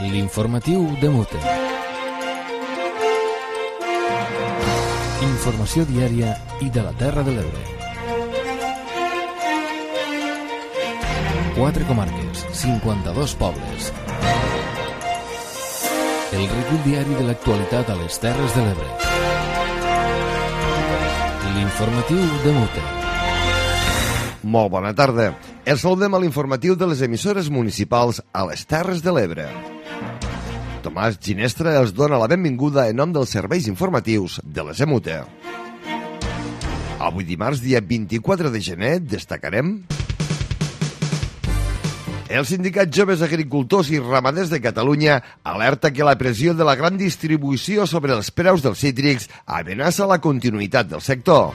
L'informatiu de Mute. Informació diària i de la Terra de l'Ebre. 4 comarques, 52 pobles. El recull diari de l'actualitat a les Terres de l'Ebre. L'informatiu de Mute. Molt bona tarda. Els saludem a l'informatiu de les emissores municipals a les Terres de l'Ebre. Tomàs Ginestra els dona la benvinguda en nom dels serveis informatius de les EMUTE. Avui dimarts, dia 24 de gener, destacarem... El Sindicat Joves Agricultors i Ramaders de Catalunya alerta que la pressió de la gran distribució sobre els preus dels cítrics amenaça la continuïtat del sector.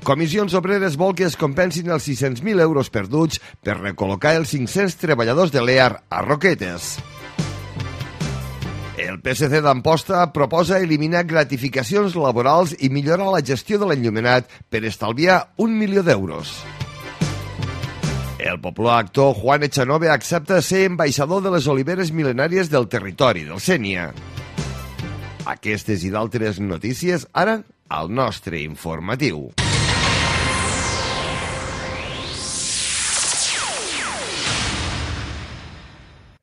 Comissions Obreres vol que es compensin els 600.000 euros perduts per recol·locar els 500 treballadors de l'EAR a Roquetes. El PSC d'Amposta proposa eliminar gratificacions laborals i millorar la gestió de l'enllumenat per estalviar 1 milió d'euros. El popular actor Juan Echanove accepta ser ambaixador de les oliveres mil·lenàries del territori del Sénia. Aquestes i d'altres notícies ara al nostre informatiu.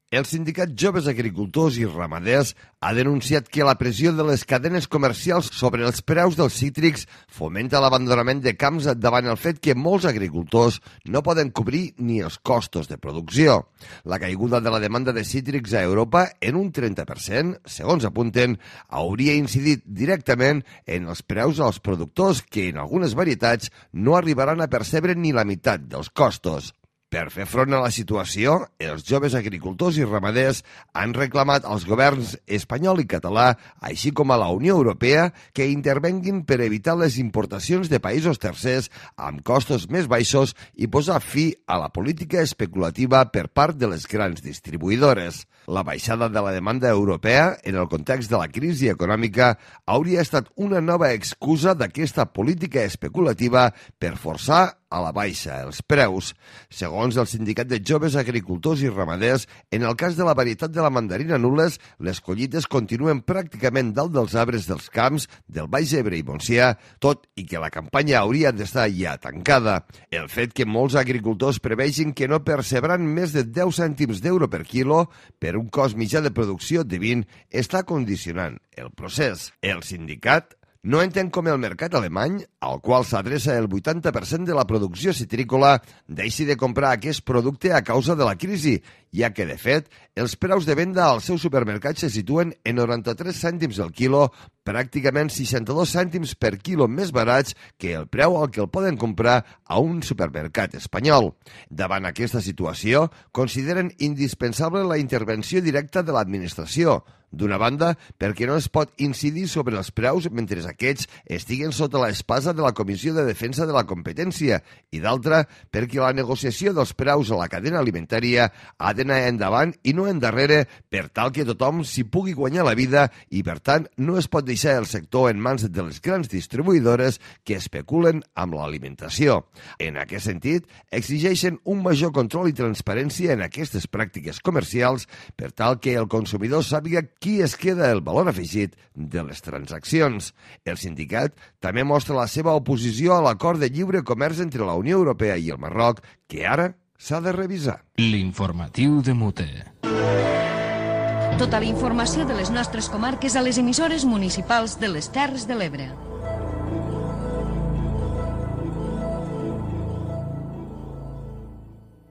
El Sindicat Joves Agricultors i Ramaders ha denunciat que la pressió de les cadenes comercials sobre els preus dels cítrics fomenta l'abandonament de camps davant el fet que molts agricultors no poden cobrir ni els costos de producció. La caiguda de la demanda de cítrics a Europa en un 30%, segons apunten, hauria incidit directament en els preus als productors que en algunes varietats no arribaran a percebre ni la meitat dels costos. Per fer front a la situació, els joves agricultors i ramaders han reclamat als governs espanyol i català, així com a la Unió Europea, que intervenguin per evitar les importacions de països tercers amb costos més baixos i posar fi a la política especulativa per part de les grans distribuïdores. La baixada de la demanda europea, en el context de la crisi econòmica, hauria estat una nova excusa d'aquesta política especulativa per forçar a la baixa els preus. Segons el Sindicat de Joves Agricultors i Ramaders, en el cas de la varietat de la mandarina Nules, les collites continuen pràcticament dalt dels arbres dels camps del Baix Ebre i Montsià, tot i que la campanya hauria d'estar ja tancada. El fet que molts agricultors prevegin que no percebran més de 10 cèntims d'euro per quilo per un cost mitjà de producció de 20 està condicionant el procés. El sindicat no entén com el mercat alemany, al qual s'adreça el 80% de la producció citrícola, deixi de comprar aquest producte a causa de la crisi, ja que, de fet, els preus de venda als seus supermercats se situen en 93 cèntims al quilo, pràcticament 62 cèntims per quilo més barats que el preu al que el poden comprar a un supermercat espanyol. Davant aquesta situació, consideren indispensable la intervenció directa de l'administració. D'una banda, perquè no es pot incidir sobre els preus mentre aquests estiguen sota l'espasa de la Comissió de Defensa de la Competència i d'altra, perquè la negociació dels preus a la cadena alimentària ha d'anar endavant i no endarrere per tal que tothom s'hi pugui guanyar la vida i, per tant, no es pot deixar el sector en mans de les grans distribuïdores que especulen amb l'alimentació. En aquest sentit, exigeixen un major control i transparència en aquestes pràctiques comercials per tal que el consumidor sàpiga qui es queda el valor afegit de les transaccions. El sindicat també mostra la seva oposició a l'acord de lliure comerç entre la Unió Europea i el Marroc, que ara s'ha de revisar. L'informatiu de Mute. Tota la informació de les nostres comarques a les emissores municipals de les Terres de l'Ebre.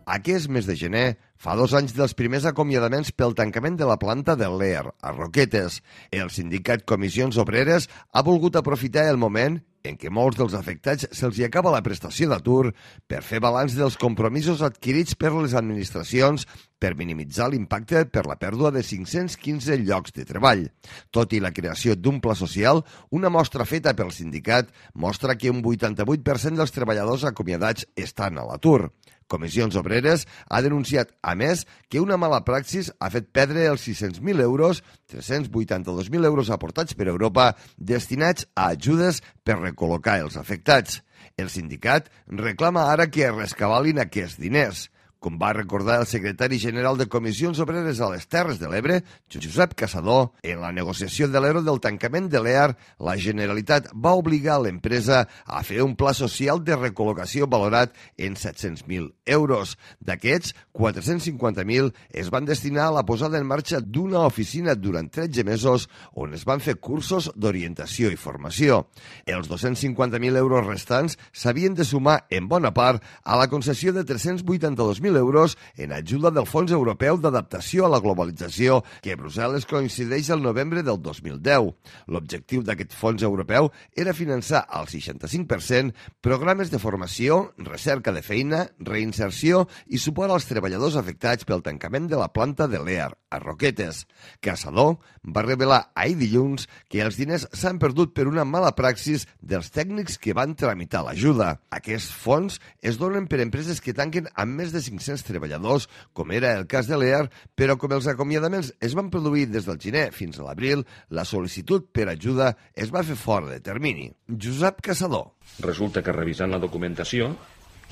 Aquest mes de gener fa 2 anys dels primers acomiadaments pel tancament de la planta de l'EAR a Roquetes. El sindicat Comissions Obreres ha volgut aprofitar el moment en què molts dels afectats se'ls hi acaba la prestació d'atur per fer balanç dels compromisos adquirits per les administracions per minimitzar l'impacte per la pèrdua de 515 llocs de treball. Tot i la creació d'un pla social, una mostra feta pel sindicat mostra que un 88% dels treballadors acomiadats estan a l'atur. Comissions Obreres ha denunciat, a més, que una mala praxis ha fet perdre els 600.000 euros, 382.000 euros aportats per Europa, destinats a ajudes per recol·locar els afectats. El sindicat reclama ara que es rescabalin aquests diners. Com va recordar el secretari general de Comissions Obreres a les Terres de l'Ebre, Josep Caçador, en la negociació de l'ERO del tancament de l'EAR, la Generalitat va obligar l'empresa a fer un pla social de recol·locació valorat en 700.000 euros. D'aquests, 450.000 es van destinar a la posada en marxa d'una oficina durant 13 mesos on es van fer cursos d'orientació i formació. Els 250.000 euros restants s'havien de sumar en bona part a la concessió de 382.000 euros en ajuda del Fons Europeu d'Adaptació a la Globalització, que Brussel·les coincideix al novembre del 2010. L'objectiu d'aquest fons europeu era finançar al 65% programes de formació, recerca de feina, reinserció i suport als treballadors afectats pel tancament de la planta de l'EAR a Roquetes. Caçador va revelar ahir dilluns que els diners s'han perdut per una mala praxis dels tècnics que van tramitar l'ajuda. Aquests fons es donen per empreses que tanquen amb més de 500 treballadors, com era el cas de l'EAR, però com els acomiadaments es van produir des del gener fins a l'abril, la sol·licitud per ajuda es va fer fora de termini. Josep Caçador. Resulta que revisant la documentació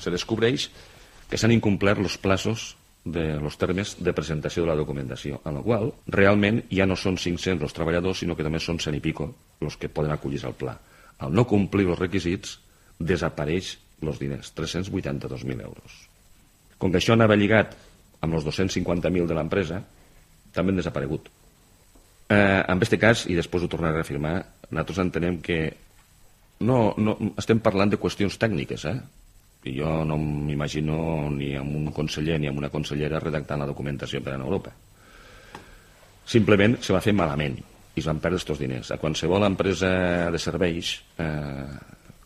se descobreix que s'han incomplert els plazos de los termes de presentació de la documentació, en la qual realment ja no són 500 els treballadors, sinó que també són 100 i pico els que poden acollir-se al pla. Al no complir els requisits, desapareix els diners, 382.000 euros. Com que això anava lligat amb els 250.000 de l'empresa, també han desaparegut. En aquest cas, i després ho tornaré a reafirmar, nosaltres entenem que no estem parlant de qüestions tècniques, i jo no m'imagino ni amb un conseller ni amb una consellera redactant la documentació per a Europa. Simplement se va fer malament i es van perdre aquests diners. A qualsevol empresa de serveis,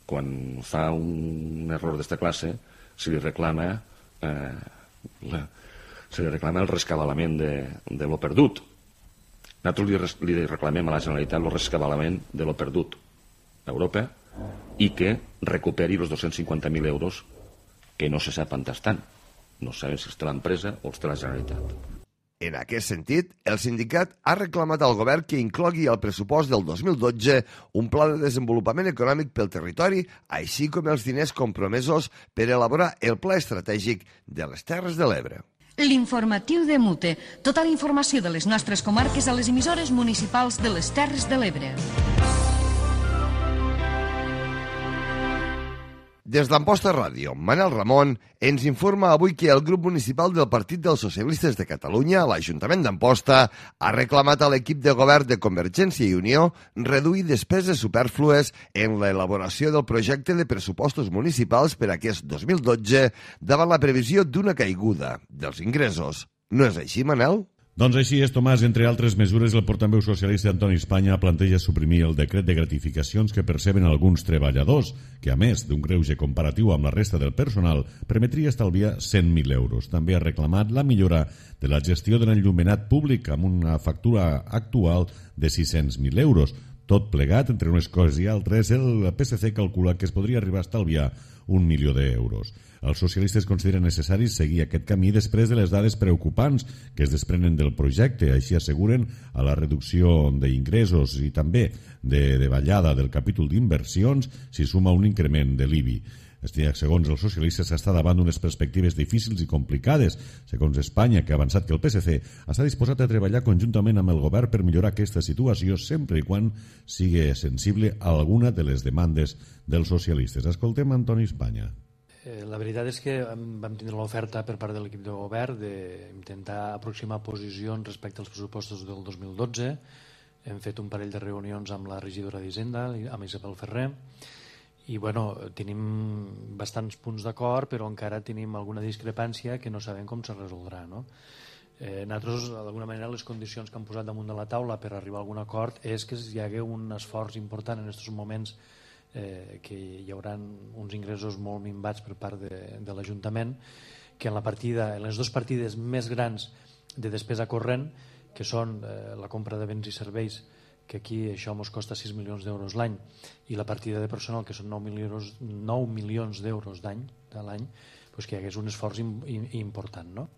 quan fa un error d'esta classe, se li reclama el rescabalament de lo perdut. Nosaltres li reclamem a la Generalitat el rescabalament de lo perdut a Europa i que recuperi els 250.000 euros que no se sap on estan. No sabem si està l'empresa o està la Generalitat. En aquest sentit, el sindicat ha reclamat al govern que inclogui al pressupost del 2012 un pla de desenvolupament econòmic pel territori, així com els diners compromesos per elaborar el pla estratègic de les Terres de l'Ebre. L'informatiu de Mute. Tota la informació de les nostres comarques a les emissores municipals de les Terres de l'Ebre. Des d'Amposta Ràdio, Manel Ramon ens informa avui que el grup municipal del Partit dels Socialistes de Catalunya, l'Ajuntament d'Amposta, ha reclamat a l'equip de govern de Convergència i Unió reduir despeses supèrflues en l'elaboració del projecte de pressupostos municipals per a aquest 2012 davant la previsió d'una caiguda dels ingressos. No és així, Manel? Doncs així és, Tomàs. Entre altres mesures, el portaveu socialista Antoni Espanya planteja suprimir el decret de gratificacions que perceben alguns treballadors, que a més d'un greuge comparatiu amb la resta del personal, permetria estalviar 100.000 euros. També ha reclamat la millora de la gestió de l'enllumenat públic amb una factura actual de 600.000 euros. Tot plegat, entre unes coses i altres, el PSC calcula que es podria arribar a estalviar 1 milió d'euros. Els socialistes consideren necessari seguir aquest camí després de les dades preocupants que es desprenen del projecte. Així asseguren a la reducció d'ingressos i també de davallada del capítol d'inversions s'hi suma un increment de l'IBI. Segons els socialistes, s'està davant d'unes perspectives difícils i complicades. Segons Espanya, que ha avançat que el PSC està disposat a treballar conjuntament amb el govern per millorar aquesta situació sempre i quan sigui sensible a alguna de les demandes dels socialistes. Escoltem Antoni Espanya. La veritat és que vam tindre l'oferta per part de l'equip de govern d'intentar aproximar posicions respecte als pressupostos del 2012. Hem fet un parell de reunions amb la regidora d'Hisenda, amb Isabel Ferrer, i tenim bastants punts d'acord, però encara tenim alguna discrepància que no sabem com se resoldrà. Nosaltres, d'alguna manera, les condicions que han posat damunt de la taula per arribar a algun acord és que hi hagi un esforç important en aquests moments, que hi haurà uns ingressos molt minvats per part de l'Ajuntament, que en les dues partides més grans de despesa corrent, que són la compra de béns i serveis, que aquí això ens costa 6 milions d'euros l'any, i la partida de personal, que són 9 milions d'euros de l'any, que hi hagués un esforç important, no?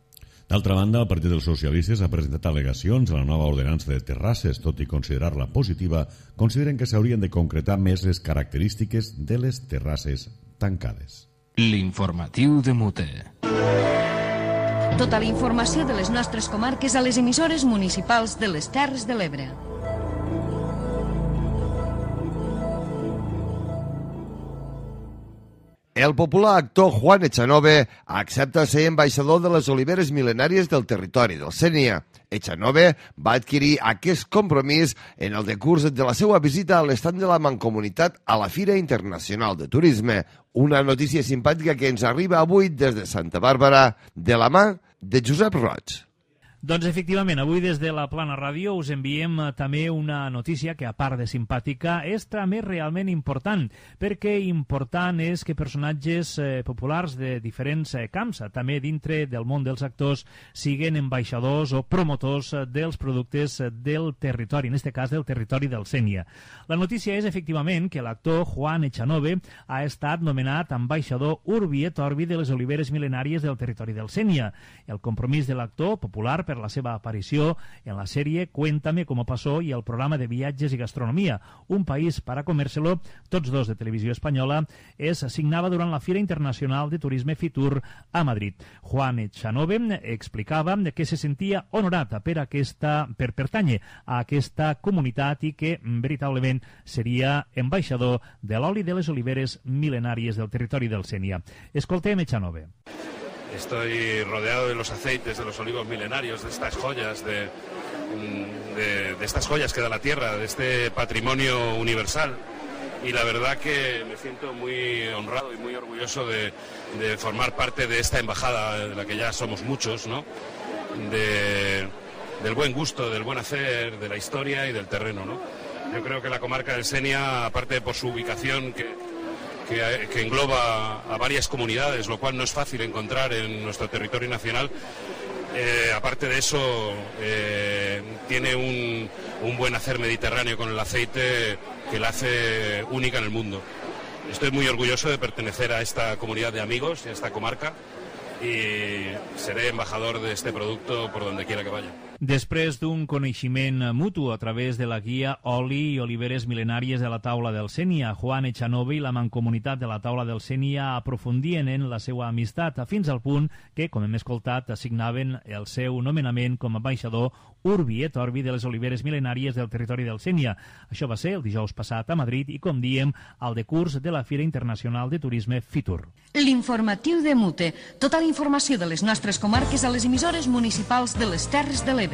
D'altra banda, el Partit dels Socialistes ha presentat al·legacions a la nova ordenança de terrasses. Tot i considerar-la positiva, consideren que s'haurien de concretar més les característiques de les terrasses tancades. L'informatiu de Mute. Tota la informació de les nostres comarques a les emissores municipals de les Terres de l'Ebre. El popular actor Juan Echanove accepta ser ambaixador de les oliveres mil·lenàries del territori del Sénia. Echanove va adquirir aquest compromís en el decurs de la seva visita a l'estand de la Mancomunitat a la Fira Internacional de Turisme. Una notícia simpàtica que ens arriba avui des de Santa Bàrbara de la mà de Josep Roig. Doncs efectivament, avui des de la Plana Ràdio us enviem també una notícia que, a part de simpàtica, és també realment important, perquè important és que personatges populars de diferents camps, també dintre del món dels actors, siguin ambaixadors o promotors dels productes del territori, en aquest cas del territori del Sénia. La notícia és, efectivament, que l'actor Juan Echanove ha estat nomenat ambaixador Urbi et Orbi de les oliveres mil·lenàries del territori del Sénia. El compromís de l'actor popular per la seva aparició en la sèrie Cuéntame cómo pasó i el programa de viatges i gastronomia, Un país para comérselo, tots dos de Televisió Espanyola, es signava durant la Fira Internacional de Turisme Fitur a Madrid. Juan Echanove explicava que se sentia honorat per pertànyer a aquesta comunitat i que veritablement seria ambaixador de l'oli de les oliveres mil·lenàries del territori del Sénia. Escoltem Echanove. Estoy rodeado de los aceites, de los olivos milenarios, de estas joyas, de estas joyas que da la tierra, de este patrimonio universal. Y la verdad que me siento muy honrado y muy orgulloso de formar parte de esta embajada, de la que ya somos muchos, ¿no? Del buen gusto, del buen hacer, de la historia y del terreno, ¿no? Yo creo que la comarca del Sénia, aparte por su ubicación, que engloba a varias comunidades, lo cual no es fácil encontrar en nuestro territorio nacional. Aparte de eso, tiene un buen hacer mediterráneo con el aceite que la hace única en el mundo. Estoy muy orgulloso de pertenecer a esta comunidad de amigos y a esta comarca y seré embajador de este producto por donde quiera que vaya. Després d'un coneixement mutu a través de la guia Oli i oliveres mil·lenàries de la Taula del Sénia, Juan Echanove i la Mancomunitat de la Taula del Sénia aprofundien en la seva amistat fins al punt que, com hem escoltat, assignaven el seu nomenament com a ambaixador Urbi et Orbi de les oliveres mil·lenàries del territori del Sénia. Això va ser el dijous passat a Madrid i, com diem, al decurs de la Fira Internacional de Turisme Fitur. L'informatiu de Mute. Tota la informació de les nostres comarques a les emissores municipals de les Terres de l'Ebre.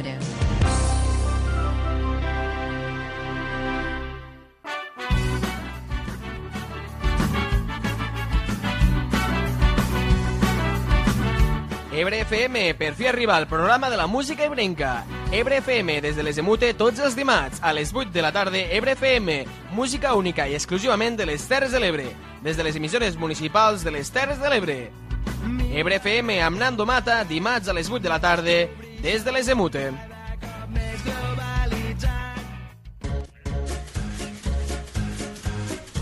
Ebre FM, per fi arriba al programa de la música ebrenca. Ebre FM, des de les Emute, tots els dimarts, a les 8 de la tarda, Ebre FM, música única i exclusivament de les Terres de l'Ebre, des de les emissores municipals de les Terres de l'Ebre. Ebre FM amb Nando Mata, dimarts a les 8 de la tarda, des de les Emute.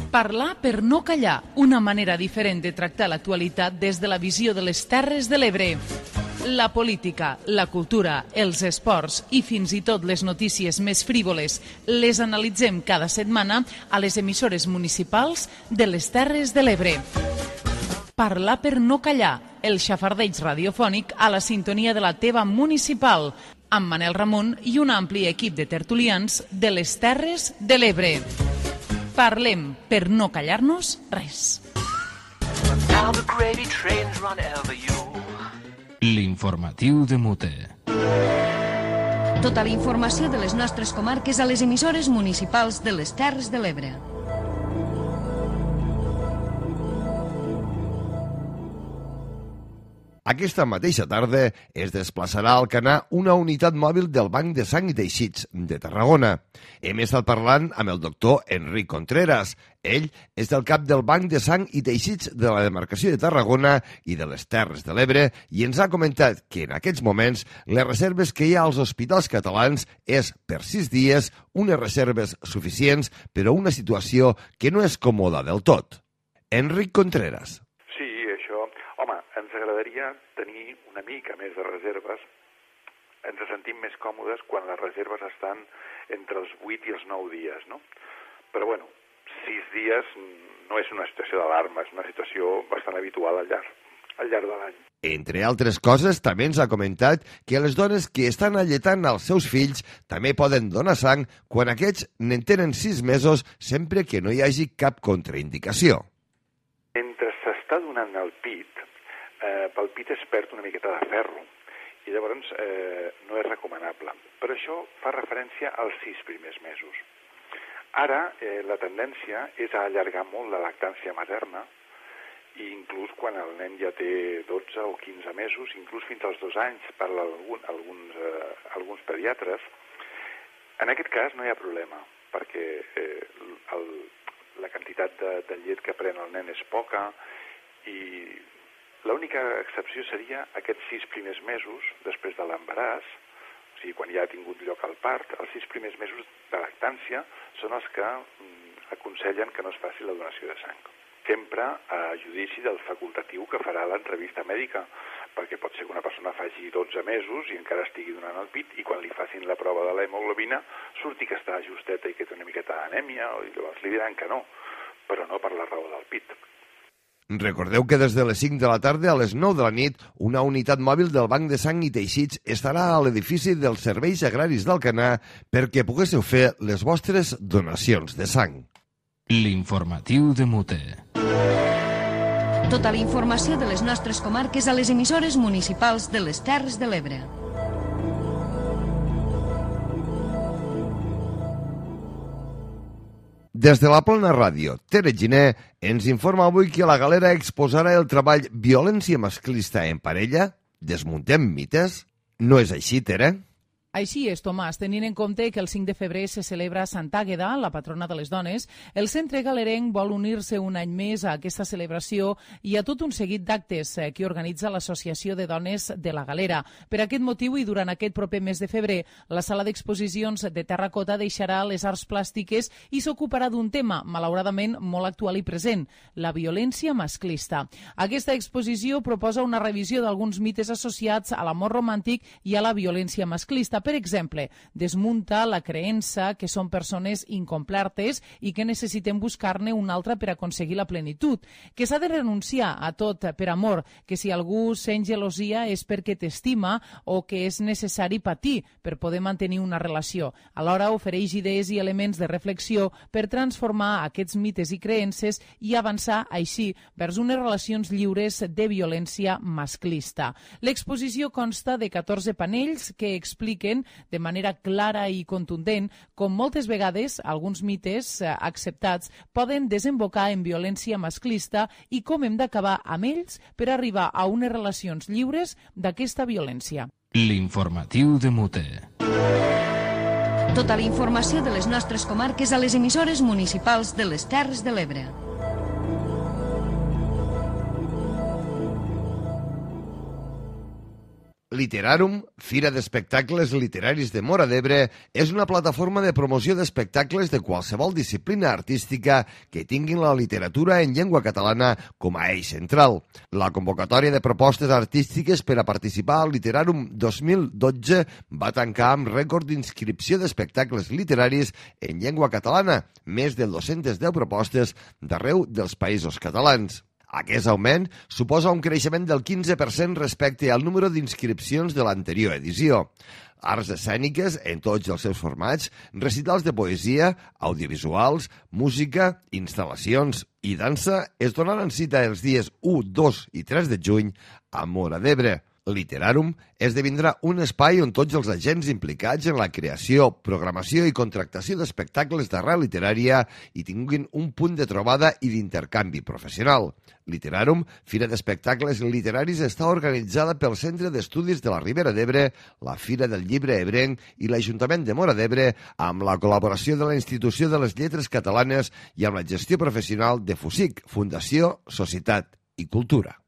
Parlar per no callar, una manera diferent de tractar l'actualitat des de la visió de les Terres de l'Ebre. La política, la cultura, els esports i fins i tot les notícies més frívoles les analitzem cada setmana a les emissores municipals de les Terres de l'Ebre. Parlar per no callar, el xafardeig radiofònic a la sintonia de la teva municipal, amb Manel Ramon i un ampli equip de tertulians de les Terres de l'Ebre. Parlem per no callar-nos res. L'informatiu de Mute. Tota la informació de les nostres comarques a les emissores municipals de les Terres de l'Ebre. Aquesta mateixa tarda es desplaçarà al Canà una unitat mòbil del Banc de Sang i Teixits de Tarragona. Hem estat parlant amb el doctor Enric Contreras. Ell és del cap del Banc de Sang i Teixits de la demarcació de Tarragona i de les Terres de l'Ebre i ens ha comentat que en aquests moments les reserves que hi ha als hospitals catalans és per 6 dies unes reserves suficients però una situació que no és còmoda del tot. Enric Contreras. Ens agradaria tenir una mica més de reserves. Ens sentim més còmodes quan les reserves estan entre els 8 i els 9 dies, no? Però, 6 dies no és una situació d'alarma, és una situació bastant habitual al llarg de l'any. Entre altres coses, també ens ha comentat que les dones que estan alletant els seus fills també poden donar sang quan aquests n'en tenen 6 mesos, sempre que no hi hagi cap contraindicació. Mentre s'està donant el pit, pel pit es perd una miqueta de ferro i llavors no és recomanable. Però això fa referència als 6 primers mesos. Ara la tendència és a allargar molt la lactància materna, i inclús quan el nen ja té 12 o 15 mesos, inclús fins als 2 anys, per alguns pediatres. En aquest cas no hi ha problema, perquè la quantitat de llet que pren el nen és poca i l'única excepció seria aquests 6 primers mesos després de l'embaràs, o sigui, quan ja ha tingut lloc el part, els 6 primers mesos de lactància són els que aconsellen que no es faci la donació de sang. Sempre a judici del facultatiu que farà l'entrevista mèdica, perquè pot ser que una persona faci 12 mesos i encara estigui donant el pit i quan li facin la prova de l'hemoglobina surti que està justeta i que té una miqueta d'anèmia, i llavors li diran que no, però no per la raó del pit. Recordeu que des de les 5 de la tarda a les 9 de la nit, una unitat mòbil del Banc de Sang i Teixits estarà a l'edifici dels Serveis Agraris d'Alcanar perquè poguéssiu fer les vostres donacions de sang. L'informatiu de Mute. Tota la informació de les nostres comarques a les emissores municipals de les Terres de l'Ebre. Des de la Plana Ràdio, Tere Giner ens informa avui que la Galera exposarà el treball Violència masclista en parella? Desmuntem mites? No és així, Tere? Així és, Tomàs, tenint en compte que el 5 de febrer se celebra Sant Àgueda, la patrona de les dones, el Centre Galerenc vol unir-se un any més a aquesta celebració i a tot un seguit d'actes que organitza l'Associació de Dones de la Galera. Per aquest motiu i durant aquest proper mes de febrer, la sala d'exposicions de Terracota deixarà les arts plàstiques i s'ocuparà d'un tema, malauradament, molt actual i present, la violència masclista. Aquesta exposició proposa una revisió d'alguns mites associats a l'amor romàntic i a la violència masclista. Per exemple, desmunta la creença que són persones incomplertes i que necessitem buscar-ne una altra per aconseguir la plenitud, que s'ha de renunciar a tot per amor, que si algú sent gelosia és perquè t'estima o que és necessari patir per poder mantenir una relació. Alhora ofereix idees i elements de reflexió per transformar aquests mites i creences i avançar així vers unes relacions lliures de violència masclista. L'exposició consta de 14 panells que expliquen de manera clara i contundent com moltes vegades alguns mites acceptats poden desembocar en violència masclista i com hem d'acabar amb ells per arribar a unes relacions lliures d'aquesta violència. L'informatiu de Mute. Tota la informació de les nostres comarques a les emissores municipals de les Terres de l'Ebre. Literarum, Fira d'Espectacles Literaris de Móra d'Ebre, és una plataforma de promoció d'espectacles de qualsevol disciplina artística que tinguin la literatura en llengua catalana com a eix central. La convocatòria de propostes artístiques per a participar al Literarum 2012 va tancar amb rècord d'inscripció d'espectacles literaris en llengua catalana, més de 210 propostes d'arreu dels països catalans. Aquest augment suposa un creixement del 15% respecte al número d'inscripcions de l'anterior edició. Arts escèniques en tots els seus formats, recitals de poesia, audiovisuals, música, instal·lacions i dansa es donaran cita els dies 1, 2 i 3 de juny a Móra d'Ebre. Literarum esdevindrà un espai on tots els agents implicats en la creació, programació i contractació d'espectacles d'arrel literària hi tinguin un punt de trobada i d'intercanvi professional. Literarum, Fira d'Espectacles Literaris, està organitzada pel Centre d'Estudis de la Ribera d'Ebre, la Fira del Llibre Ebrenc i l'Ajuntament de Móra d'Ebre, amb la col·laboració de la Institució de les Lletres Catalanes i amb la gestió professional de FUSIC, Fundació, Societat i Cultura.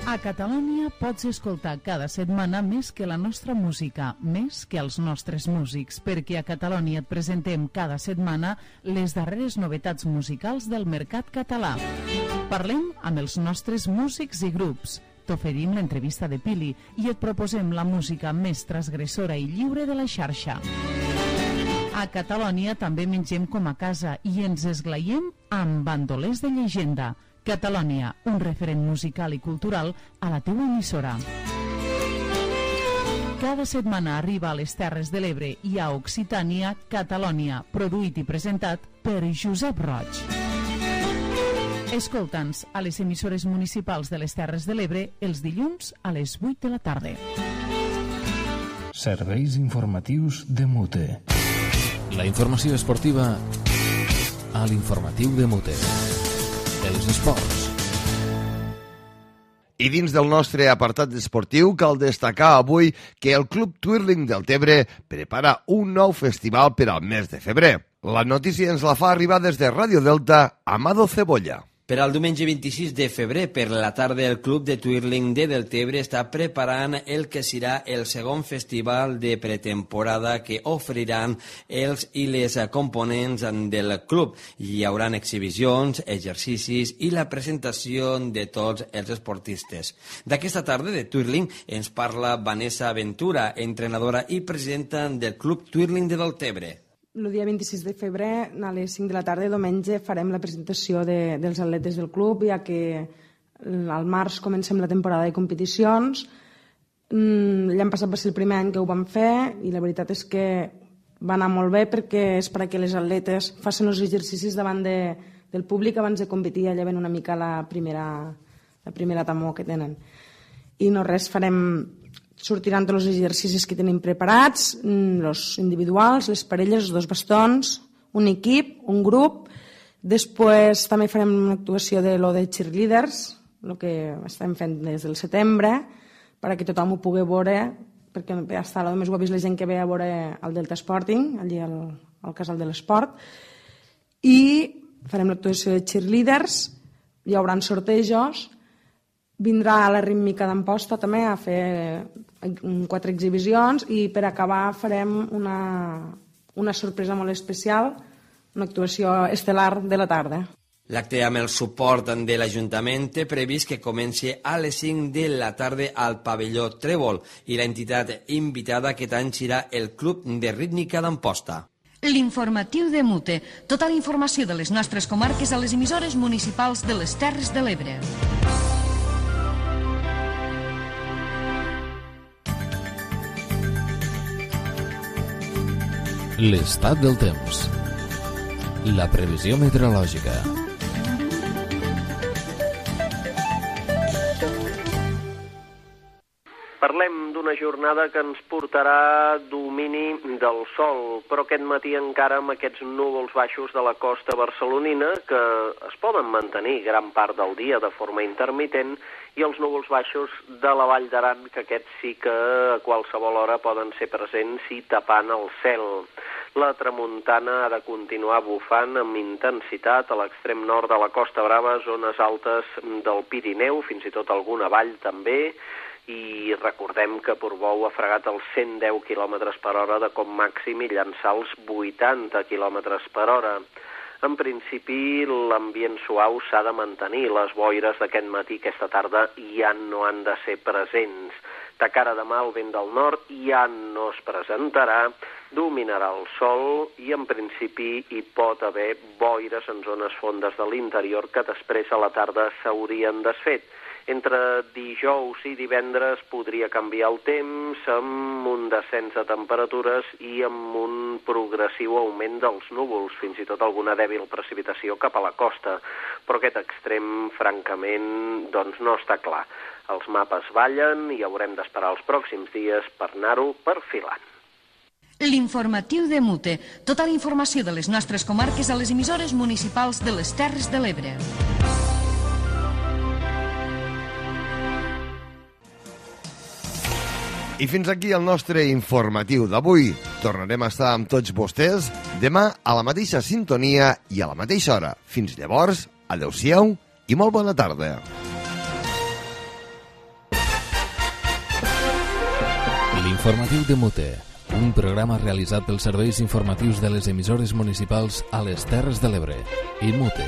A Catalunya pots escoltar cada setmana més que la nostra música, més que els nostres músics, perquè a Catalunya et presentem cada setmana les darreres novetats musicals del mercat català. Parlem amb els nostres músics i grups, t'oferim l'entrevista de Pili i et proposem la música més transgressora i lliure de la xarxa. A Catalònia també mengem com a casa i ens esglaiem amb bandolers de llegenda. Catalònia, un referent musical i cultural a la teua emissora. Cada setmana arriba a les Terres de l'Ebre i a Occitània, Catalònia, produït i presentat per Josep Roig. Escolta'ns a les emissores municipals de les Terres de l'Ebre els dilluns a les 8 de la tarda. Serveis informatius de Mute. La informació esportiva a l'informatiu de Mute. Els esports. I dins del nostre apartat esportiu cal destacar avui que el Club Twirling del Tebre prepara un nou festival per al mes de febrer. La notícia ens la fa arribar des de Ràdio Delta, Amado Cebolla. Per al diumenge 26 de febrer, per la tarda, el Club de Twirling de Deltebre està preparant el que serà el segon festival de pretemporada que oferiran els i les components del club. Hi haurà exhibicions, exercicis i la presentació de tots els esportistes. D'aquesta tarda de Twirling ens parla Vanessa Ventura, entrenadora i presidenta del Club Twirling de Deltebre. El dia 26 de febrer, a les 5 de la tarda, diumenge, farem la presentació dels atletes del club, ja que al març comencem la temporada de competicions. L'any passat va ser el primer any que ho vam fer i la veritat és que va anar molt bé perquè és perquè les atletes facin els exercicis davant del públic abans de competir, ja lleven una mica la primera temor que tenen. I no res, sortiran tots els exercicis que tenim preparats, els individuals, les parelles, els 2 bastons, un equip, un grup. Després també farem una actuació de cheerleaders, el que estem fent des del setembre, perquè tothom ho pugui veure, perquè hasta a més ho ha vist la gent que ve a veure el Delta Sporting, allí al Casal de l'Esport. I farem l'actuació de cheerleaders, hi haurà sortejos. Vindrà a la rítmica d'Amposta també a fer 4 exhibicions i per acabar farem una sorpresa molt especial, una actuació estel·lar de la tarda. L'acte amb el suport de l'Ajuntament té previst que comenci a les 5 de la tarda al pavelló Trèvol i l'entitat invitada aquest any serà el Club de Rítmica d'Amposta. L'informatiu de Mute. Tota la informació de les nostres comarques a les emissores municipals de les Terres de l'Ebre. L'estat del temps. La previsió meteorològica. Parlem d'una jornada que ens portarà domini del sol, però aquest matí encara amb aquests núvols baixos de la costa barcelonina que es poden mantenir gran part del dia de forma intermitent i els núvols baixos de la Vall d'Aran, que aquests sí que a qualsevol hora poden ser presents i tapant el cel. La tramuntana ha de continuar bufant amb intensitat a l'extrem nord de la Costa Brava, zones altes del Pirineu, fins i tot alguna vall també, i recordem que Portbou ha fregat els 110 km per hora de com màxim i llançar els 80 km per hora. En principi, l'ambient suau s'ha de mantenir. Les boires d'aquest matí, aquesta tarda, ja no han de ser presents. De cara a demà, el vent del nord ja no es presentarà, dominarà el sol i, en principi, hi pot haver boires en zones fondes de l'interior que després a la tarda s'haurien desfet. Entre dijous i divendres podria canviar el temps amb un descens de temperatures i amb un progressiu augment dels núvols, fins i tot alguna dèbil precipitació cap a la costa. Però aquest extrem, francament, doncs no està clar. Els mapes ballen i haurem d'esperar els pròxims dies per anar-ho perfilant. L'informatiu de Mute. Tota la informació de les nostres comarques a les emissores municipals de les Terres de l'Ebre. I fins aquí el nostre informatiu d'avui. Tornarem a estar amb tots vostès demà a la mateixa sintonia i a la mateixa hora. Fins llavors, adeu-siau i molt bona tarda. L'informatiu de Mute, un programa realitzat pels serveis informatius de les emissores municipals a les Terres de l'Ebre i Mute.